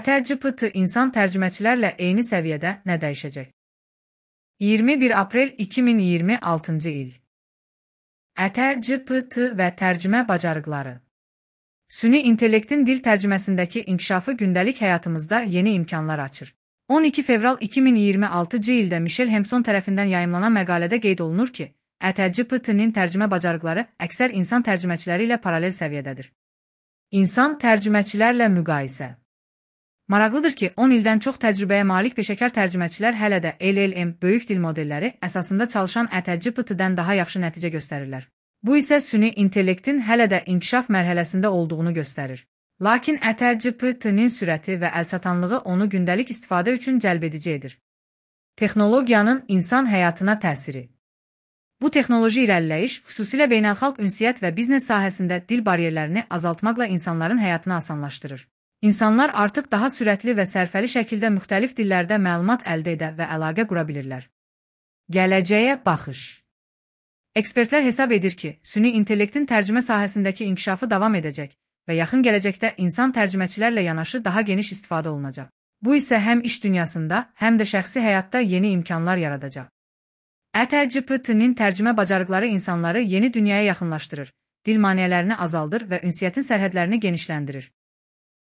ƏTGPT insan tərcüməçilərlə eyni səviyyədə nə dəyişəcək? 21 aprel 2026-cı il. ƏTGPT və tərcümə bacarıqları. Süni intellektin dil tərcüməsindəki inkişafı gündəlik həyatımızda yeni imkanlar açır. 12 fevral 2026-cı ildə Michel Hempson tərəfindən yayımlanan məqalədə qeyd olunur ki, ƏTGPT-nin tərcümə bacarıqları əksər insan tərcüməçiləri ilə paralel səviyyədədir. İnsan tərcüməçilərlə müqayisə. Maraqlıdır ki, 10 ildən çox təcrübəyə malik peşəkar tərcüməçilər hələ də LLM böyük dil modelləri əsasında çalışan ƏTGPT-dən daha yaxşı nəticə göstərirlər. Bu isə süni intellektin hələ də inkişaf mərhələsində olduğunu göstərir. Lakin ƏTGPT-nin sürəti və əlçatanlığı onu gündəlik istifadə üçün cəlbedici edir. Texnologiyanın insan həyatına təsiri. Bu texnoloji irəliləyiş xüsusilə beynəlxalq ünsiyyət və biznes sahəsində dil bariyerlərini azaltmaqla insanların həyatını asanlaşdırır. İnsanlar artıq daha sürətli və sərfəli şəkildə müxtəlif dillərdə məlumat əldə edə və əlaqə qura bilirlər. Gələcəyə baxış. Ekspertlər hesab edir ki, süni intellektin tərcümə sahəsindəki inkişafı davam edəcək və yaxın gələcəkdə insan tərcüməçilərlə yanaşı daha geniş istifadə olunacaq. Bu isə həm iş dünyasında, həm də şəxsi həyatda yeni imkanlar yaradacaq. ƏTGPT-nin tərcümə bacarıqları insanları yeni dünyaya yaxınlaşdırır, dil maneələrini azaldır və ünsiyyətin sərhədlərini genişləndirir.